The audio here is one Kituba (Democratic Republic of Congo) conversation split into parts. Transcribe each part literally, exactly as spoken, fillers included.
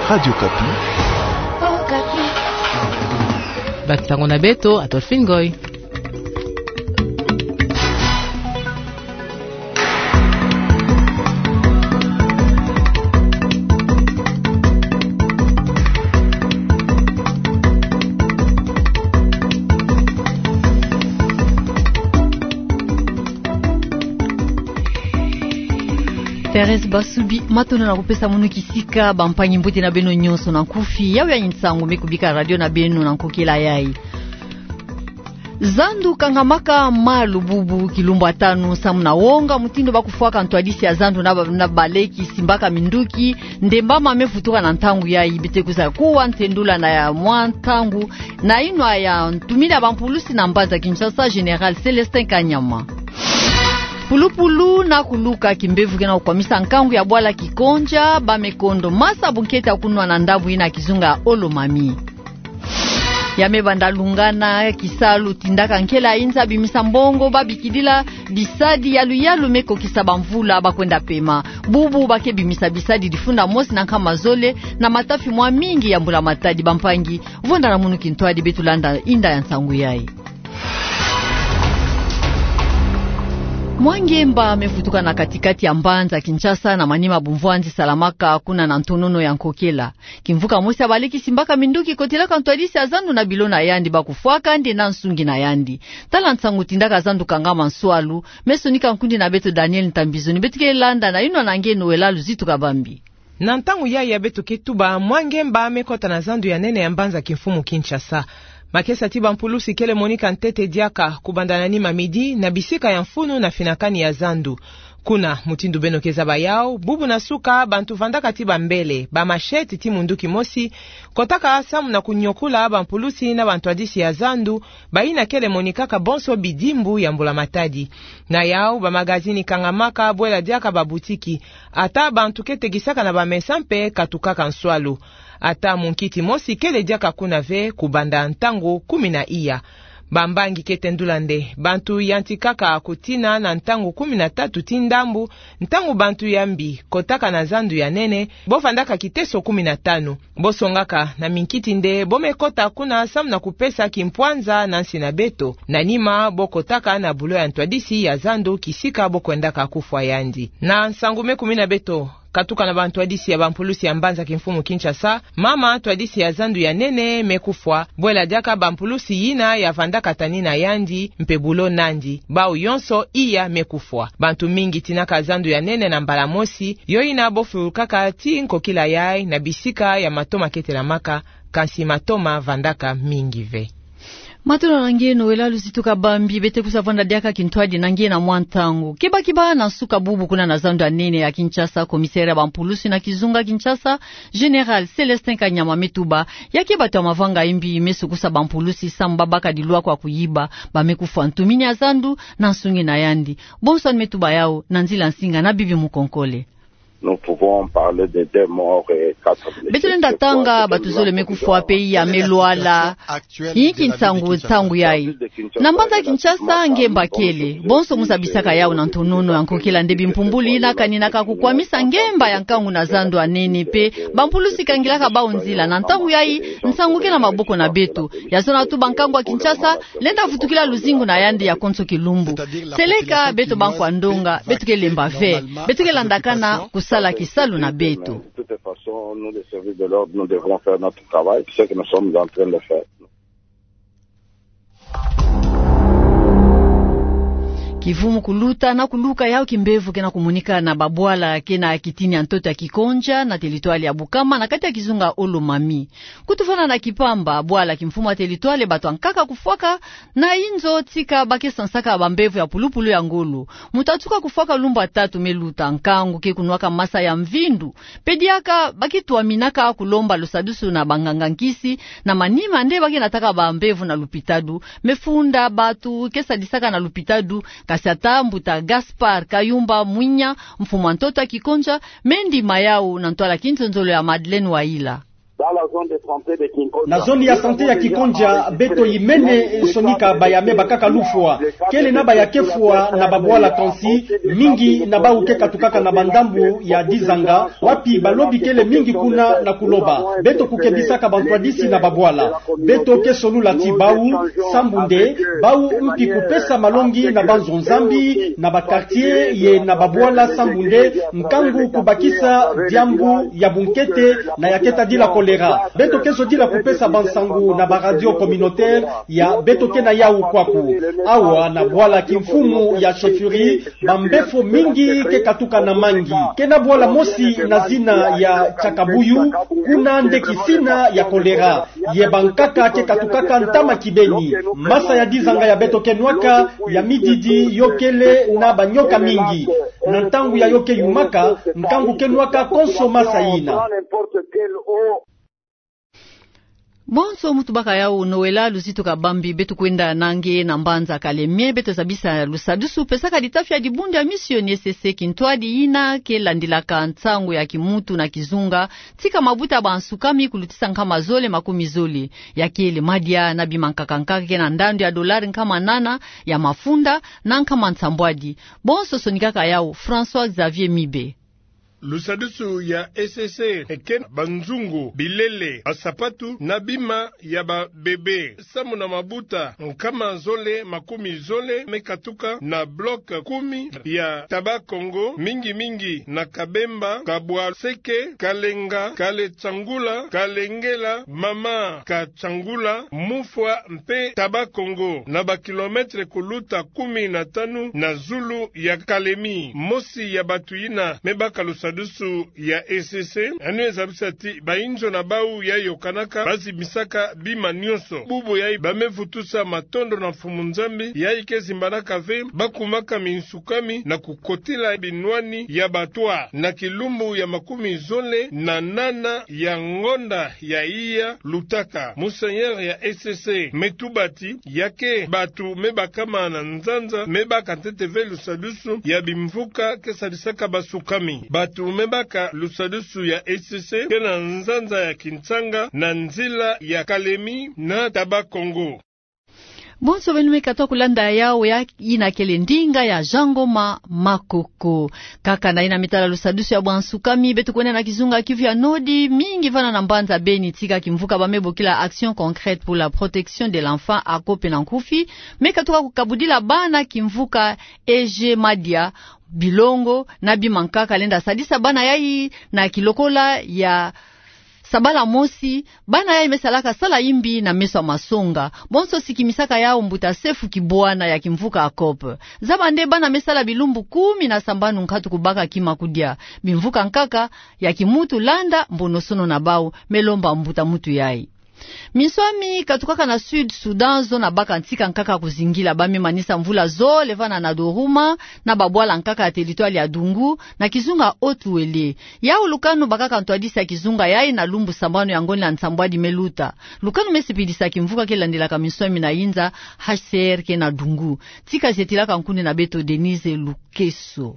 Radio Okapi. Baki ntangu na beto, Adolphine Ngoy. Thérèse Basubi, matondo na kupesa munu kisika. Bampangi, mbote na beno nyonso. Na nkufi, yawu ya nsangu me kubika radio na beno na nkokila yayi. Zandu kangamaka malu bubu kilumbu ya tanu samu na wonga mutindu ba kufwaka ntwadisi ya zandu na ba-, na baleki simbaka minduki, ndemba ma me vutuka na ntangu yayi. Beto ke kwiza kuwa ntendula na ya mwa ntangu na inwa ya ntumini ya bampulusi na mbanza Kinshasa, Général Célestin Kanyama. Pulupulu na kuluka, kimbevo ke na kukwamisa nkangu ya bwala Kikonja, ba me kondo masa bunkete ya kunwa na ndambu yina kizunga Olomami. Ya me banda lungana, kisalu tindaka nkela inza bimisa mbongo ba bikidila bisadi ya luyalu me kokisa bamvula ba kwenda pema. Bubu ba ke bimisa bisadi difunda mosi na nkama zole na matafi mwa mingi ya mbula matadi. Bampangi, vonda na munu kintwadi, beto landa inda ya nsangu yayi. Mwa ngemba me vutuka na kati-kati ya mbanza Kinshasa na manima bumvwanzi salamaka kuna na ntonono ya nkokila. Kimvuka mosi ya baleki simbaka minduki kotelaka ntwadisi ya zandu na bilo na yandi ba kufwaka nde na nsungi na yandi. Tala nsangu tindaka zandu kangama nswalu, me sonika nkundi na beto Daniel Ntambizu. Ni beto ke landa na inwa na nge Noëlla Luzitu Kabambi. Na ntangu yayi ya beto ke tuba, mwa ngemba me kota na zandu ya nene ya mbanza kimfumu Kinshasa. Makesa ti bampulusi kele monika ntete diaka kubanda na nima midi na bisika ya mfunu na finakani ya zandu. Kuna, mutindu beno ke zaba yawu, bubu na suka, bantu vandaka ti bambele, ba machette ti munduki mosi, kotaka samu na kunyokula bampulusi na bantwadisi ya zandu, bayina kele monikaka bonso bidimbu ya mbula matadi. Na yawu, bamagazini kangamaka, bwela diaka babutiki. Ata bantu ke tekisaka na bamesa mpe katukaka nswalu. Ata munkiti mosi kele diaka kuna ve kubanda ntangu kumi na iya. Bambangi ke tendula nde bantu yantikaka kutina na ntangu kumi na tatu ti ndambu, ntangu bantu ya mbi kotaka na zandu ya nene, bo vandaka kiteso kumi na tanu. Bo songaka na minkiti nde bo me kota kuna samu na kupesa kimpwanza na nsi na beto. Na nima, bo kotaka na bulo ya ntwadisi ya zandu kisika bo kwendaka kufwa yandi. Na nsangu me kumina beto, katuka na bantwadisi ya bampulusi ya mbanza kimfumu Kinshasa, mama ntwadisi ya zandu ya nene me kufwa, bwela diaka bampulusi yina ya vandaka tani na yandi, mpe bulo nandi, bawu yonso iya me kufwa. Bantu mingi tinaka zandu ya nene na mbala mosi, yo yina bo fulukaka ti nkokila yayi na bisika ya matoma ke telamaka, kansi matoma vandaka mingi ve. Matondo na nge Noëlla Luzitu Kabambi. Beto ke kwiza vanda diaka kintwadi na nge na mwa ntangu. Kiba kiba na nsuka bubu kuna na zandu ya nene ya Kinshasa, commissaire ya bampulusi na kizunga Kinshasa, Général Célestin Kanyama me tuba, ya ke bato ya mavanga ya mbi me sukusa bampulusi samu ba baka dilwa kwa kuyiba, ba me kufwa ntumini ya zandu na nsungi na yandi. Bonso ni me tuba yawu na nzila nsinga na Bibi Mukonkole. Nous pouvons parler de deux morts et quatre blessés. Beto lenda tanga bato zole me kufwa mpe iya me lwala. Inki nsangu, nsangu yayi? Na mbanza Kinshasa, ngemba kele. Bonso mu zabisaka yawu na ntonono ya nkokila nde bimpumbulu yina kaninaka kukwamisa ngemba ya nkangu na zandu ya nene mpe bampulusi kangilaka bawu nzila. Na ntangu yayi, nsangu ke na maboko na beto. Ya zona tu bankangu ya Kinshasa lenda vutukila luzingu na yandi ya konso kilumbu. Seleka beto bankwa ndonga, beto ke lemba ve, beto ke landakana kusala kisalu na beto. De toute façon, nous, les services de l'ordre, nous devrons faire notre travail, ce que nous sommes en train de faire. Kivumu kuluta na kuluka, yawu kimbevo ke na kumonika na babwala ke na kitini ya ntoto ya Kikonja na territoire ya Bukama na kati ya kizunga Olomami. Kutuvana na Kipamba, bwala kimfumu ya territoire, bato ya nkaka kufwaka na inzo tika ba ke sansaka bambevo ya pulupulu ya ngolo. Muta tuka kufwaka lumbu ya tatu me luta, nkangu ke kunwaka masa ya mvindu. Mpe diaka ba ke twaminaka kulomba lusadusu na banganga nkisi, na manima nde ba ke nataka bambevo na lupitadu. Me funda bato ke sadisaka na lupitadu, kasi ata mbuta Gaspard Kayumba Mwinya, mfumu ya ntoto ya Kikonja, me ndima yawu na ntwala kinzonzolo ya Madeleine Wayila. Na zone ya santé ya Kikondia, beto yimene sonika baya me bakaka lufwa. Kele na baya ke fwa na babwala kansi, mingi na bawu ke katukaka na bandambu ya Dizanga, wapi balobi kele mingi kuna na kuloba. Beto kukebisaka bantwadisi na babwala. Beto ke solula ti bawu, sambu nde, bawu mpi kupesa malongi na banzo-Nzambi, na ba quartier ye na babwala sambu nde, nkangu kubakisa diambu ya bunkete na ya ke tadila choléra. Beto ke zodila kupesa bansangu na ba radio communautaire ya beto ke na yawu kwaku. Awa na bwala kimfumu ya chefferie, bambefo mingi ke katuka na mangi. Ke na bwala mosi na zina ya Chakabuyu, kuna nde kisina ya choléra. Ye bankaka ke katukaka ntama kibeni. Masa ya Dizanga ya beto ke nwaka, ya mididi yo kele na banyoka mingi. Na ntangu ya yo ke yumaka, nkangu ke nwaka konso masa yina. Bonso muntu baka yawu Noëlla Luzitu Kabambi. Beto kwenda na nge na mbanza Kalemie, beto zabisa lusadusu pesaka litafi ya dibundu ya misioni E C C kintwadi yina ke landilaka nsangu ya kimuntu na kizunga, tika mabuta bansukami kulutisa nkama zole makumi zole. Ya kele madia na bima nkaka nkaka ke na ndandu ya dolari nkama nana ya mafunda na nkama nsambwadi. Bonso sonikaka yawu François Xavier Mibe. Lusadusu ya E C C eke na banzungu, bilele, basapatu na bima ya ba bébé. Samu na mabuta nkama zole makumi zole me katuka na bloc kumi ya Taba Kongo, mingi mingi na Kabemba, Kabwa Seke, Kalenga, Kale Tsangula, Kalengela, Mama Katsangula, Mufwa mpe Taba Kongo, na ba kilomètre kuluta kumi na tanu na zulu ya Kalemie. Mosi ya batu yina me baka lusadusu ya E C C, yandi me zabisa ti bayinzo na bawu yayi yokanaka, bazimbisaka bima nyonso. Bubu yayi ba me vutusa matondo na Mfumu Nzambi, yayi ke zimbanaka ve, ba kumaka minsukami na kukotila binwani ya batwa. Na kilumbu ya makumi zole na nana ya ngonda ya iya lutaka, Monseigneur ya E C C me tuba ti ya ke batu me bakama na nzanza me baka ntete ve lusadusu ya bimvuka ke sadisaka basukami. Batu me baka lusadusu ya E C C ke na nzanza ya Kintsanga na nzila ya Kalemie na Taba Kongo. Bonso beno me katuka kulanda yawu, ya yina kele ndinga ya Jean Ngoma Makoko. Kaka na yina me tala lusadusu ya bansukami, beto kwenda na kizunga Kivu ya Nord, mingi vana na mbanza Beni, tika kimvuka ba me bokila Action Concrète pour la Protection de l'Enfant, ACOP na nkufi, me katuka kukabudila bana kimvuka Ege Madia, bilongo na bima nkaka lenda sadisa bana yayi na kilokola ya sabala mosi. Bana yayi me salaka sala yimbi na meso ya masonga. Bonso sikimisaka yawu mbuta Sefu Kibwana ya kimvuka ACOP. Zaba nde bana me sala bilumbu kumi na sambanu nkatu kubaka kima kudia. Bimvuka nkaka ya kimuntu landa mbonosono na bawu, me lomba mbuta muntu yayi. Minswami katukaka na Sud Soudan, zo na baka ntika nkaka kuzingila, ba me manisa mvula zole vana na Doruma, na babwala nkaka ya territoire ya Dungu, na kizunga Haut-Uélé. Yawu lukanu bakaka ntwadisi ya kizunga yayi na lumbu sambanu ya ngonda nsambwadi me luta. Lukanu me sipidisa kimvuka ke landilaka minswami na yinza H C R ke na Dungu. Tika zetilaka nkundi na beto Denise Lukeso.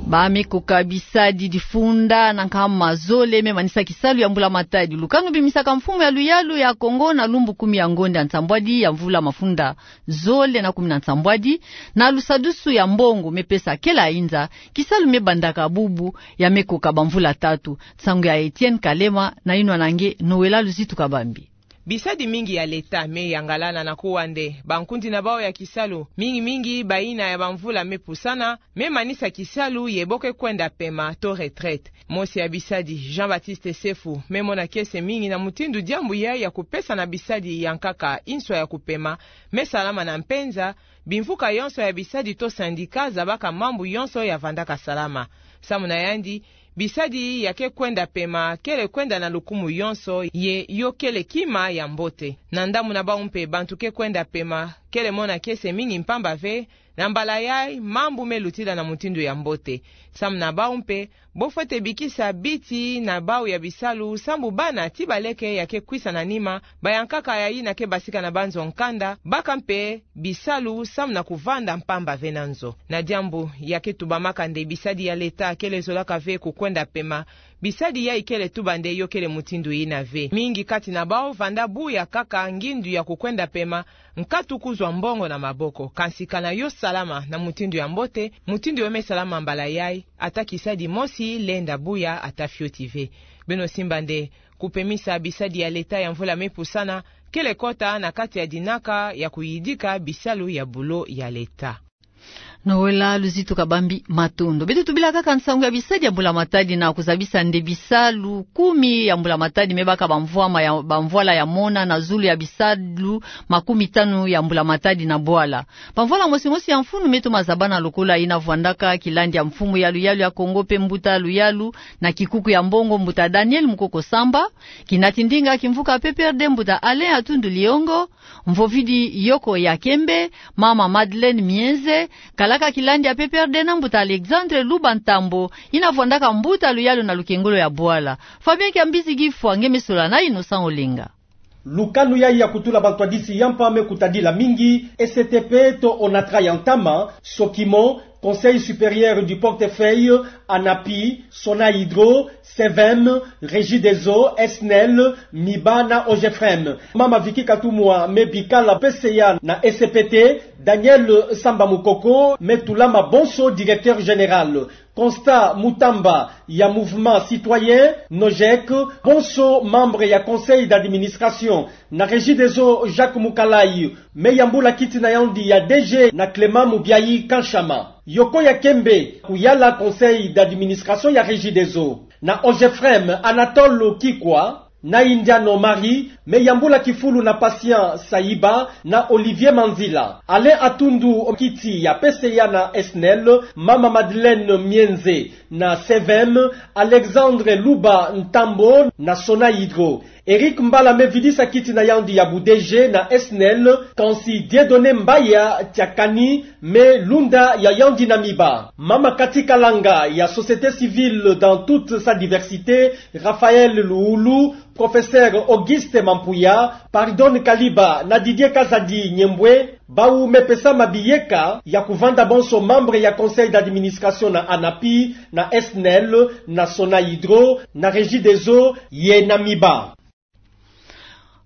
Ba me koka bisadi difunda na nkama zole me manisa kisalu ya mbula matadi. Lukanu bimisaka mfumu ya luyalu ya Kongo na lumbu kumi ya ngonda nsambwadi ya mvula mafunda zole na kumi na nsambwadi, na lusadusu ya mbongo me pesa kele yinza, kisalu me bandaka bubu, ya me koka bamvula tatu. Nsangu ya Etienne Kalema, na yinwa na nge Noëlla Luzitu Kabambi. Bisadi mingi ya leta me yangalana na kuwa nde bankundi na bawu ya kisalu, mingi mingi bayina ya bamvula me pusana, me manisa kisalu ye bo ke kwenda pema to retraite. Mosi ya bisadi, Jean-Baptiste Sefu, me mona kiese mingi na mutindu diambu yayi ya kupesa na bisadi ya nkaka inswa ya kupema me salama na mpenza, bimvuka yonso ya bisadi to syndicat zabaka mambu yonso ya vandaka salama. Samu na yandi, bisadi ya ke kwenda pema kele kwenda na lukumu yonso ye yo kele kima ya mbote. Na ndambu na bawu mpe, bantu ke kwenda pema kele mona kiese mingi mpamba ve, Na mbala yai, mambu me lutila na mutindu ya mbote. Samu na bau mpe, bo fwete bikisa biti na bau ya bisalu, sambu bana ti baleke ya ke kwisa na nima, bayankaka ya yina ke basika na banzo nkanda, baka mpe bisalu samu na kuvanda mpamba ve na nzo. Na diambu ya ke tubamaka nde bisadi ya leta kele zolaka ve kukwenda pema, bisadi yai kele tuba nde yo kele mutindu yina ve. Mingi kati na bau vanda buya kaka ngindu ya kukwenda pema, nkatu kuzwa mbongo na maboko. Kansi kana yo salama na mutindu ya mbote, mutindu yo me salama mbala yai, ata kisadi mosi lenda buya ata fioti ve. Beno simba nde kupemisa bisadi ya leta ya mvula me pusana, kele kota na kati ya dinaka ya kuyidika bisalu ya bulo ya leta. Noëlla Luzitu Kabambi, matondo. Beto tubila kaka nsangu ya bisadi ya mbula-matadi na kuzabisa nde bisalu kumi ya mbula-matadi me baka bamvwama ya, bamvwala ya mona na zulu ya bisalu makumi tanu ya mbula-matadi na bwala. Bamvwala mosi-mosi ya mfunu me toma zabana lokola yina vwandaka kilandi ya mfumu ya luyalu ya Kongo mpe mbuta luyalu na kikuku ya mbongo, mbuta Daniel Mukoko Samba, kinati ndinga kimvuka P P R D, mbuta Alain Atundu Liongo, mvovidi Yoko ya Kembe, mama Madeleine Mienze, kalaka kilandi ya P P R D na mbuta Alexandre Luba Ntambo, yina vwandaka mbuta luyalu na lukengolo ya bwala. Fabien Kiambizi Gifwa nge me sola na Innocent Olenga. Lukanu yai ya kutula bantwadisi ya mpa me kutadila mingi, E C T P to ONATRA ya ntama, SOCIMO, Conseil supérieur du portefeuille, ANAPI, SONAHYDRO, SEVEM, Regideso, SNEL, MIBA na OGEFREM. Mama Vicky Katumwa me bikala P C A na E C P T, Daniel Samba Mukoko me tulama bonso directeur général. Constat Mutamba ya Mouvement Citoyen, NOJEC, bonso membre ya conseil d'administration. Na Regideso, Jacques Mukalayi me yambula kiti na yandi ya D G na Clément Mubiayi Kanshama. Yoko ya Kembe kuyala conseil d'administration ya Regideso. Na OGEFREM, Anatole Kikwa na Indiano Marie me yambula kifulu na Patient Sayiba na Olivier Manzila. Alain Atundu kiti ya P C A na SNEL, mama Madeleine Mienze na SEVEM, Alexandre Luba Ntambo na SONAHYDRO. Eric Mbala me vidisa kiti na yandi ya bu D G na SNEL, kansi Dieudonné Mbaya Tiakani me lunda ya yandi na MIBA. Mama Cathy Kalanga ya société civile dans toute sa diversité, Raphaël Luulu, professeur Auguste Mampuya, Pardonne Kaliba na Didier Kazadi Nyembwe, bau me pesa mabiyeka ya kuvanda bonso membre ya conseil d'administration na ANAPI, na SNEL, na SONAHYDRO, na Regideso, ye na MIBA.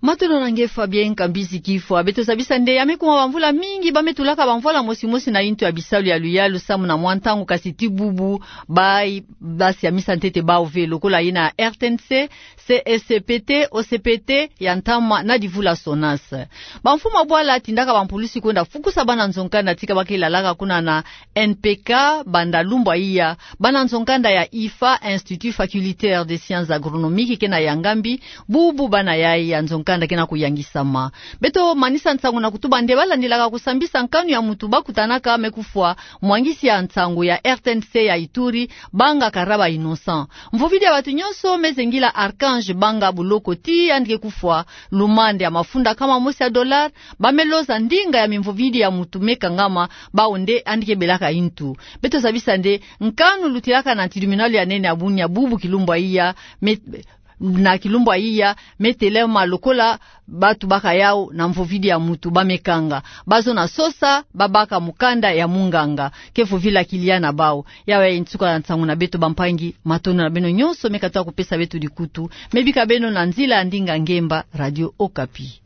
Matondo na nge Fabien Kambizi Kifwa. Beto zabisa nde ya me kuma bamvula mingi ba me tulaka bamvwala mosi-mosi na yintu ya bisalu ya luyalu samu na mwa ntangu, kasi ti bubu ba, ba siamisa ntete bau ve lokola yina R T N C, C S P T, O C P T ya ntama na divula SONAS. Bamfumu ya bwala tindaka bampulusi kwenda fukusa bana nzo-nkanda tika ba ke lalaka kuna na N P K, banda lumbu ya iya, bana nzo-nkanda ya IFA, Institut Facultaire des Sciences Agronomiques, ke na Yangambi, bubu bana yai ya nzo-nkanda ke na kuyangisama. Beto manisa nsangu na kutuba nde ba landilaka kusambisa nkanu ya mutu ba kutanaka me kufwa mwangisi ya nsangu ya R T N C ya Ituri, Banga Karaba Innocent. Mvovidi ya batu nyonso me zengila Archange Banga Buloko ti yandi ke kufwa, lumande ya mafunda kama mosi ya dollar, ba me loza ndinga ya mimvovidi ya mutu me kangama, bau nde yandi ke belaka yintu. Beto zabisa nde nkanu lutilaka na tribunal ya nene ya bunia bubu kilumbu ya iya, me, na kilumbu ya iya, me telema lokola batu bakayau na mvovidi ya mutu ba me kanga. Bazo na sosa, ba baka mukanda ya munganga ke vovila kilia na bau. Yawu ya nsuka ya nsangu na beto bampangi, matondo na beno nyonso me katuka kupesa beto dikutu. Me bika beno na nzila ya ndinga ngemba, Radio Okapi.